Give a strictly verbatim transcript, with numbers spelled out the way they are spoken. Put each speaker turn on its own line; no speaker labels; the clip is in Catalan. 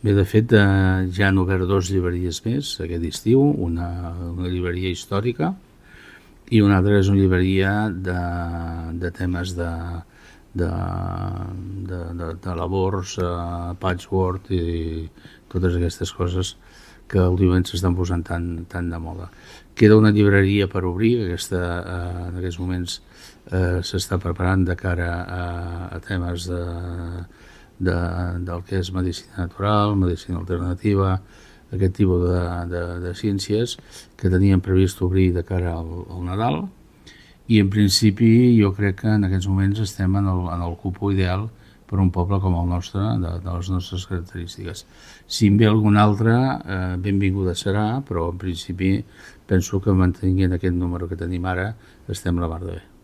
Bé, de fet, eh, ja han obert dues llibreries més aquest estiu, una, una llibreria històrica i una altra és una llibreria de, de temes de, de, de, de, de labors, eh, patchwork i totes aquestes coses que últimament s'estan posant tan, tan de moda. Queda una llibreria per obrir, que aquesta, eh, en aquests moments eh, s'està preparant de cara a, a temes de, de, del que és medicina natural, medicina alternativa, aquest tipus de, de, de ciències que teníem previst obrir de cara al, al Nadal, i en principi jo crec que en aquests moments estem en el, en el cupo ideal per un poble com el nostre, de, de les nostres característiques. Si en ve algun altre, eh, benvinguda serà, però en principi penso que mantenint aquest número que tenim ara estem la mar de bé.